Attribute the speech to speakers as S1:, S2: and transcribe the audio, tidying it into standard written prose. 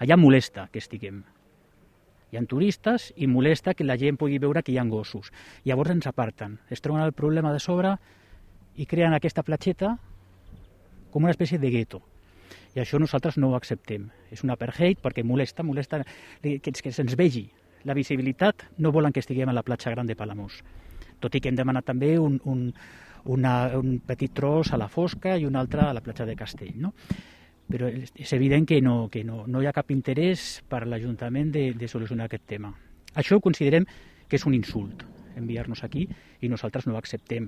S1: Allà molesta que estiguem. Hi ha turistes i molesta que la gent pugui veure que hi ha gossos. Llavors ens aparten, es troben el problema de sobre i creen aquesta platgeta com una espècie de gueto. I això nosaltres no ho acceptem. És un apartheid perquè molesta que se'ns vegi. La visibilitat no volen que estiguem a la platja gran de Palamós. Tot i que hem demanat també un petit tros a la Fosca i un altre a la platja de Castell. No? Però és evident que no hi ha cap interès per l'Ajuntament de solucionar aquest tema. Això considerem que és un insult, enviar-nos aquí, i nosaltres no ho acceptem.